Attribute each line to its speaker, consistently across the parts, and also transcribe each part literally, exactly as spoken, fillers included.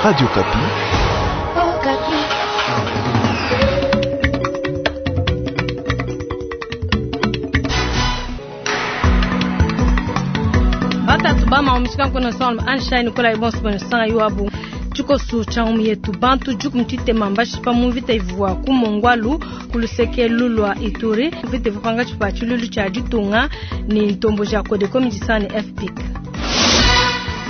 Speaker 1: Radio Okapi.
Speaker 2: Batatu bama omishika nkono salm anshine kola ibonso bono sanga yuabu tshikoso tshia ngumu yetu bantu juku mutshitema mbashipa mu mvita ivua ku mongwalu ku luseke lulwa Ituri mvita ivua panga tshipa tshilulu tshia ditunga ni ntombo ja Codeco midisane F P I C.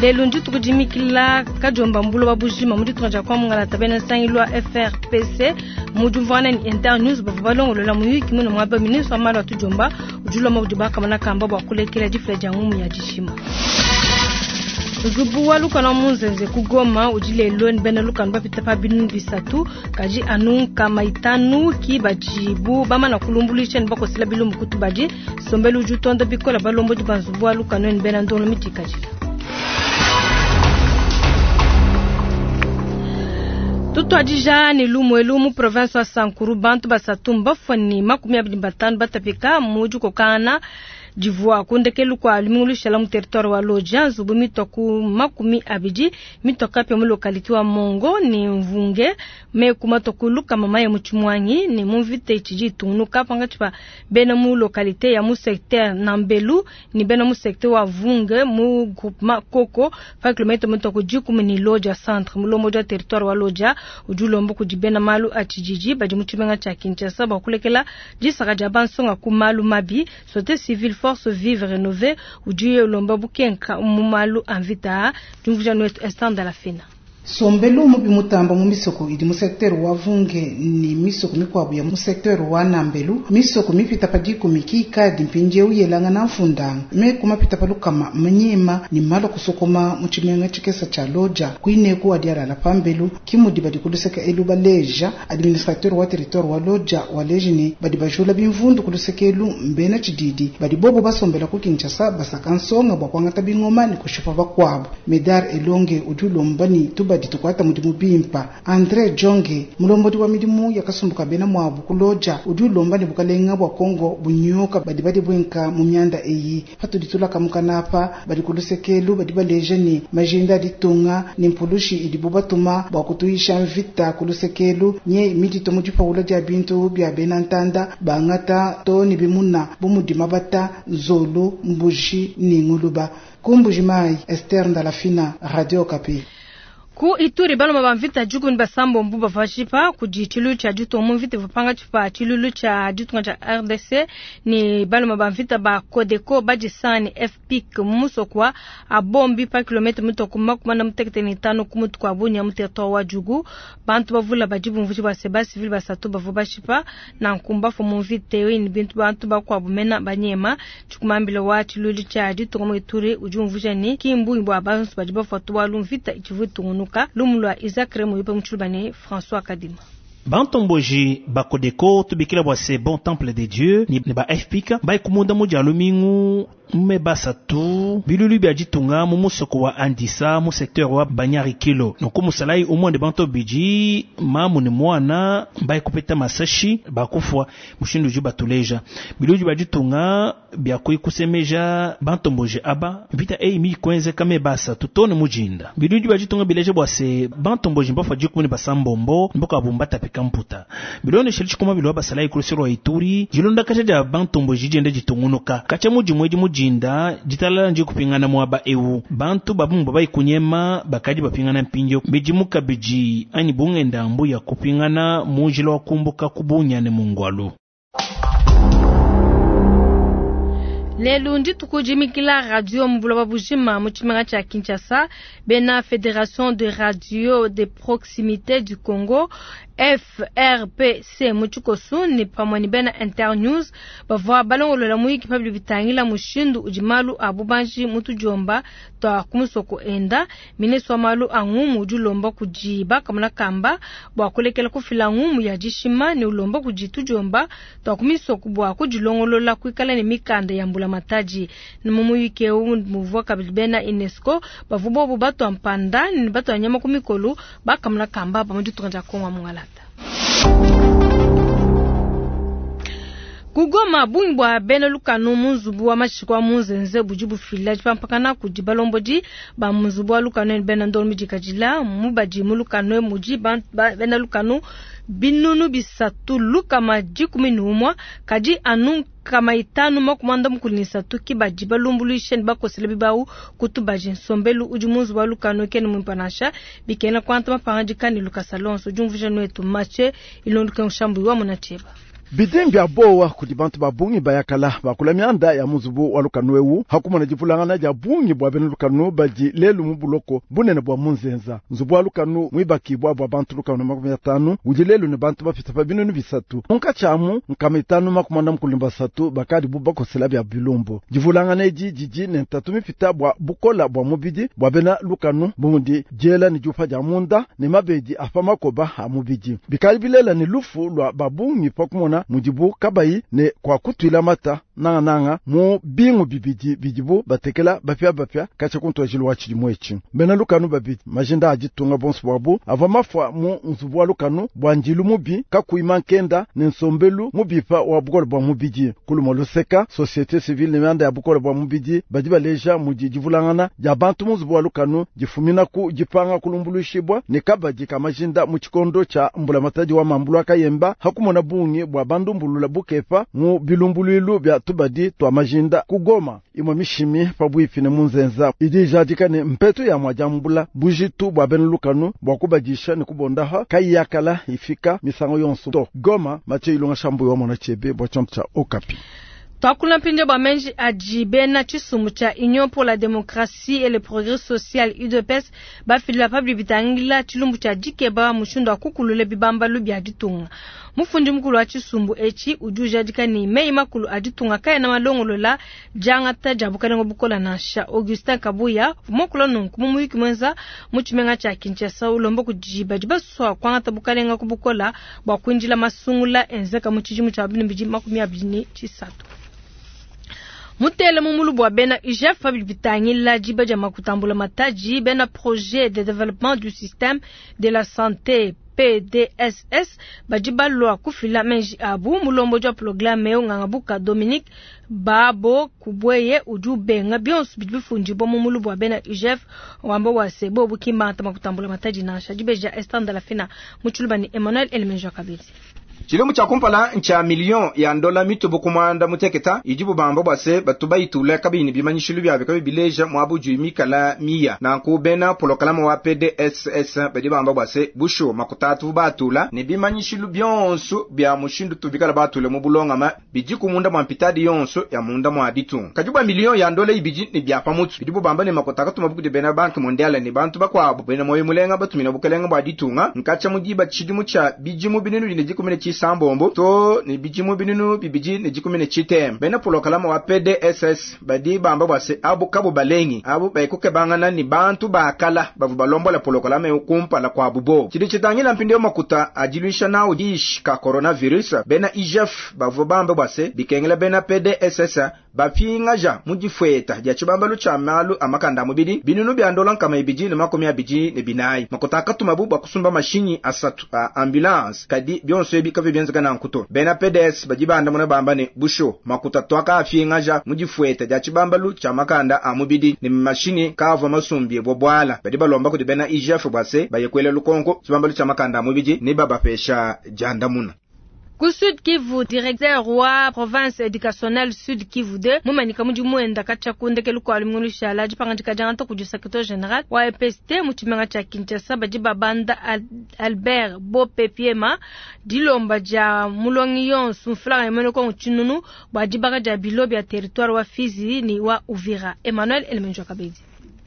Speaker 2: Lelo ndituku dimikila kadiomba mbulo wa bujima mu ditunga dia kwa mongala bena nsangilu wa F R P C mu diumvuangana ni Internews bavua balongolola muyuki muno muaba ministre wa malu a tudiomba udi ulomba kudi bakamona kamba bua kulekela difila dia ngumu ya dishima. Nzubu wa lukanu wa Munzenze ku Goma udi lelo ni bena lukanu bapita pa binunu bisatu kadi anu nkama itanu ki badibu bamana kulumbuluisha ni bakosela bilumbu kutu badi sombelu udi utonda bikola balombodi ba nzubu wa lukanu ni bena ndongo midikadila. Tutwadija ni lumwelu mu province wa Sankuru bantu basatu mbafwani makumi abili batanu batapika muji kokana divua kundekelu kwa lumingulusha mu territoire wa Lodja nzubu mitwa ku makumi abidi mitwa kapya mu localité wa Mongo ni Mvunge me kumato kuluka mama ya muchimwanyi ni mumvite chiji tunuka panga chipa bena mu localité ya mu secteur Nambelu ni bena mu secteur wa Vunge mu groupement Koko fa kilomètre mitwa ku jikumi ni Lodja centre mulomo ja territoire wa Lodja ujulombo kujibena malu achijiji badi muchimenga cha Kinshasa bakulekela jisaka ja bansonga ku malu mabi société civile force vive rénovée ujuye ulomba bukenka mumalu anvita jumvuja nwetu estanda la fina.
Speaker 3: Sombelu mubi mutamba mu misoko idi mu secteur wa Vunge ni misoko mikwabu ya mu secteur wa Nambelu misoko mipita pa dikumi kikadi mpindieu yelanga na mfundanga me kumapita pa lukama manyema ni malo kusokoma mu tshimenga tshikesa tshia Lodja kuineku adialala pambelu kimudi badi kuluseka elu baleja administrateur wa territoire wa Lodja waleji ni badi bajula bimvundu kuluseka elu mbena tshididi badi bobo basombela ku Kinshasa basaka nsonga bua kuangata bingoma ni kushipa bakuabu Medar Elonge udi ulomba ni tuba ditukwata mudimu bimpa Andre Jonge mulombodi wa midimu yakasumbuka bena mwabu kuloja udi ulomba ne bukalenga bwa Kongo bunyoka badi badi bwenka mu myanda eyi patudi tulakamuka napa badi kulusekelu badi baleja ni majinda ditunga ni mpulushi idi bubatuma bwa kutuisha mvita kulusekelu nye midito mu dipaula dia bintu bya bena ntanda bangata to ni bimuna bumudima bata nzolu mbuji ni nguluba kumbuji mai Esther Ndalafina Radio Okapi.
Speaker 2: Ku Ituri baloma ba mvita juku ni basambo mbu bavashipa kudi chilulu cha ditunga mu mvita vapanga chipa chilulu cha ditunga cha R D C ni baloma ba mvita ba Codeco badisani F P I C musokwa abombi pa kilometre mutoko makumi na mutekete ni tano ku mutu kwa Bunia mu territoire wa Djugu bantu bavula badibu mvuji ba seba civil basatu bavu bashipa na nkumba fo mu mvita yo ni bintu bantu bakwabu mena banyema chukumambile wa chilulu cha ditunga mu Ituri udi umvuja ni kimbu bwa bantu badi bafatu wa lumvita ichivutu lumulwa Isaac Remo yupe mutshulubane François Kadima.
Speaker 4: Bantomboji bakodeko tubikila bwa se bon temple de Dieu ni ba F P I C bai kumunda mu lumingu me basatu bilulu bya ditunga mu musoko wa Andisa mu secteur wa Banyarikilo noko musalai umwe banto biji mamu ni mwana bai kupeta masashi bakufwa mushindu ju batuleja bilulu bya ditunga bya kuikusemeja bantomboji aba vita ei mi kwenze kame basa tutone mujinda bilulu bya ditunga bileje bwa se bantomboji mbafa jikuni basambombo mboka bumbata kamputa bilone shili chikoma bilo basalai kulusiro Ituri jilonda kacha ja bantomboji jende jitungunuka kacha muji mweji mujinda jitalala nji kupingana mwaba ewu bantu babumba baikunyema bakaji bapingana mpinjo bijimuka biji ani bungenda mbu ya kupingana mujilo wakumbuka kubunyane mungwalu.
Speaker 2: Lelo ndituku dimikila radio mbuloba bujima mu tshimenga tshia Kinshasa bena Fédération de radio de proximité du Congo F R P C mu tshikosu ni pamwe ni bena Internews bavua balongolola muyiki pa bitangila mushindu udi malu a bubanji mu tudiomba twa kumusoko enda ministre wa malu a ngumu udi ulomba kudi bakamona kamba bua kulekela kufila ngumu ya dishima ne ulomba kudi tudiomba twa kumisoko bua kudilongolola kuikala ne mikanda ya mbula mataji ni mumuyiki eu muvua kabidi bena UNESCO bavua bobu batwa mpanda ni batwa nyama ku mikolo bakamona kamba pa mu ditunga dia Kongo ya Mongala. Ku Goma, bungi bua bena lukanu mu nzubu wa mashika wa Munzenze budi bufila dipampakana kudi balombodi ba mu nzubu wa lukanu ne bena ndongo midikadila. Mu badi mu lukanu mudi bena lukanu binunu bisatu lukama dikumi ne umue, kadi anu nkama itanu makumi muanda mukulu ne isatu ke badi balumbuluisha ne bakosela bibawu ku tubaji. Nsombelu udi mu nzubu wa lukanu kena muimpe nansha, bikengela kuangata mapangadika ne lukasa luonso. Diumvuija nuetu Mathieu Ilonduke Nshambu wa Munatsheba.
Speaker 1: Bidi mbia bowa kudi bantu ba bungi bayakala bakula mianda ya muzubu wa lukanu ewu hakumona divulangana dia bungi bua bena lukanu badi lelu mu buloko bunene bua Munzenza. Nzubu wa lukanu mwibakibwa bua bantu lukanu makumi atanu udi lelu ne bantu bapita pa binunu bisatu munkatshi amu nkama itanu makumi anda mukulu ne basatu bakadi bu bakosela bia bilumbu. Divulangana edi didi ne ntatu mipita bua bukola bua mubidi bua bena lukanu bumudi diela ne diupa dia munda ne mabedi apa makoba a mubidi bikali bilela ne lufu lua babungi pa kumona mudibu kabayi ne kwa kutuila mata nanga nanga mu bingu bibidi bidibu batekela bapia bapia kacha kuntwajilo wa tshidimu etshi. Bena lukanu babidi majinda a ditunga bonso bwabu ava mafua mu nzubu wa lukanu bua ndilu mubi kakuima nkenda ne nsombelu mubipa wa bukole bua mubidi. Kuluma luseka société civile ne mianda ya bukole bua mubidi badi baleja mudi divulangana dia bantu mu nzubu wa lukanu difumina ku dipanga kulumbuluishibwa ne kabadi ka majinda mu tshikondo tshia mbulamatadi wa mambulu akayemba hakumona bungi bua bandumbulula bukepa mu bilumbuluilu bia tubadi twa majinda ku Goma. Imwe mishimi pabwipi ne Munzenza idi ijadika ne mpetu ya mwajambula bujitu bua bena lukanu bua kubadisha ne kubondaha kayakala ifika misango yonso to. Goma, Mathieu Ilonga Shambu wa mona chebe bua chombo cha Okapi.
Speaker 2: Twakula mpindieu bua menji adi bena tshisumbu tshia Union pour la démocratie et le progrès social U D P S bafidila pa bidi bitangila tshilumbu tshia dikeba mushindu wa kukulula bibambalu bia ditunga. Mufundi mukulu wa tshisumbu etshi udi ujadika ne meyi makulu a ditunga kaena malongolola diangata dia bukalenga bukola nansha. Augustin Kabuya mukula nunku mu muyuki mwenza mu tshimenga tshia Kinshasa ulomba kudi badi basua kuangata bukalenga ku bukola bua kuindila masungula enzeka mu tshidimu tshia bibidi makumi abidi ne tshisatu. Mutele mumulu bua bena U G F pa bidi bitangila diba dia makutambula mataji bena projet de développement du système de la santé P D S S badi balua kufila menji abu mulombo wa programme eu ngangabuka Dominique Babo Kubweye udi ubenga bionso bidi bifundibwa mu mulu bua bena U G F wamba wa sebo bukimba makutambula mataji nansha dibeja Esther Lafina mutshuluba ni Emmanuel Elemenjo kabidi.
Speaker 5: Chilombo cha kumpala ncha million ya ndola mitubu kumanda muteketa ijibu bamba bwase batuba itula kabini bimanyishilu byabe kabi bileja mwabuju mikala miya nanku bena polokalama wa P D S S badi bamba bwase busho makutatu batula ne bimanyishilu byonso bya mushindu tubikala batula mu bulongama bijiku munda mwa mpitadi yonso ya munda mwa ditu kajuba million ya ndola ibiji ne bya pamutsu bidibu bamba ne makutaka tumabuku bena banque mondiale ne bantu bakwabo bena moyo mulenga batumina bukelenga bwa ditunga nkacha mudiba chidimu cha bijimu binunu ne jikumene sambombo to ne bijimu binunu bibiji ne jikumene chitem bena polokalama wa P D S S badi bamba bwase abu kabo balengi abu bayikuke bangana ni bantu bakala bavu balombola polokalama yokumpala kwa bubo chidi chitangila mpindio makuta ajiluisha nao dish ka coronavirus bena I G F bavu bamba bwase bikengela bena P D S S bapingaja mujifweta ja chibambalu cha malu amakanda mubidi binunu bya ndola nkama ibiji ne makumi abiji ne binayi makuta akatuma bu bakusumba mashinyi asatu a ambulance kadi byonso ebi kavi byenzeka na nkuto bena P D S bajibanda muna bamba ne busho makuta twaka afingaja mujifweta ja chibambalu cha makanda amubidi ne mashini kava masumbye bobwala badi balomba kudi bena I G F bwase bayekwela lukonko chibambalu cha makanda amubidi ne babapesha jandamuna.
Speaker 2: Ku Sud Kivu, directeur wa province éducationnelle Sud Kivu deux, mumanika mudimu enda kacha kundekelu kwa lumingu la dipangandika dia ku secrétaire général wa E P S T mu tshimenga tshia Kinshasa badi babanda Albert Bopepiema dilomba dia mulongi yonso mfulanga yemene ko tshinunu bua dibaka dia bilo bia territoire wa Fizi ni wa Uvira. Emmanuel Elemenjo Kabedi.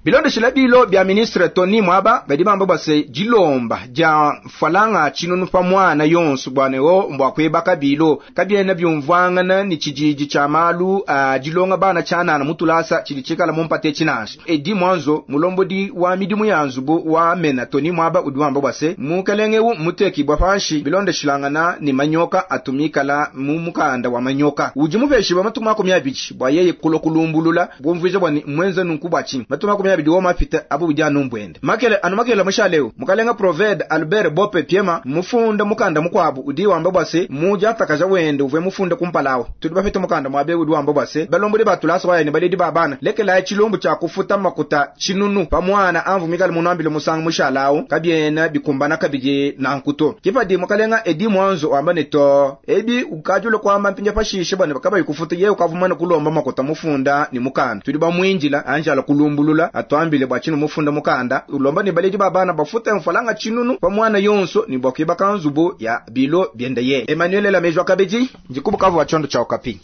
Speaker 5: Bilondeshela bilo bya ministre Tony Mwaba badi bamba bwase dilomba dia falanga chinunu pa mwana yonso bwanewo mbwa kwebaka bilo kabyena byumvwangana ni chijiji cha malu uh, dilonga bana chana na mutulasa chilichikala mumpate chinasha edi mwanzo mulombodi wa midimu ya nzubu wa mena Tony Mwaba udi wamba bwase mukelenge muteki bwa panshi bilondeshilangana ni manyoka atumikala mu mukanda wa manyoka udi mupeshi ba matuma makumi abiri bwa yeye kulokulumbulula bwumvije bwa mwenza nunku bwa chini matuma makumi abidi wo mapita abu budi anu mbwende makele anu makele mushaleu mukalenga proved Albert Bope Piema mufunda mukanda mukwabu udi wamba bwase muja atakaja wende uvwe mufunda kumpalawo tudi bafite mukanda mwabe udi wamba bwase balombodi batulasa waya ne baledi babana lekela chilombo cha kufuta makuta chinunu pamwana amvu mikale munambile musanga mushalawo kabyena bikumbana kabije nankuto kipadi mukalenga edi mwanzo wamba ne to ebi ukajule kwamba mpinja pashishe bana bakaba ikufuta ye ukavumana kulomba makuta mufunda ni mukanda tudi bamwinjila anjala kulumbulula atwambile bwa chinu mufunda mukanda ulomba ni baledi babana bafuta mfalanga chinunu pamwana yonso ni bwa kuiba kanzubu ya bilo byenda ye Emmanuel Lamejwa kabeji njikubukavu wa chondo cha Okapi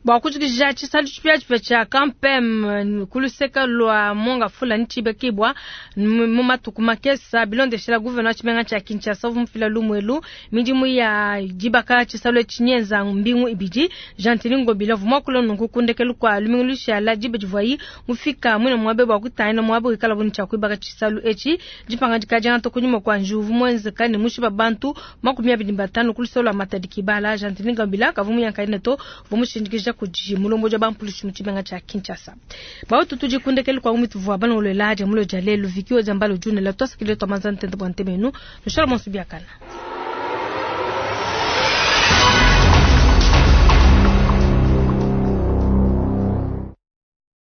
Speaker 2: bwa kujikija tshisalu tshipiatshipia tshia kampem kuluseka lwa monga fula ntshibekibwa mu matuku makesa bilondeshela gouverneur wa tshimenga tshia Kinshasa uvua mufila lumwelu midimu ya dibaka tshisalu etshi nyenza mbingu ibidi Gentiny Ngobila uvua muakula nunku kundekelu kua lumingu lushala diba divuayi mufika mwine muabe bua kutangila muabe wikala buni tshia kuibaka tshisalu etshi dipangadika diangata kunyima kua njuvu muenzeka ne mushiba bantu makumi abidi batanu kuluseka lua Matadi Kibala. Gentiny Ngobila kavua muyankaine to uvua mushindikija kudi mulomboji wa bampulushi mu tshimenga tshia Kinshasa. Bautu tudi kundekelu kwa umitu vua bana ulela dia mulo dia lelu vikiwa dia mbalo junela twasakile twa manza ntente bwa ntemenu nushala monso biakana.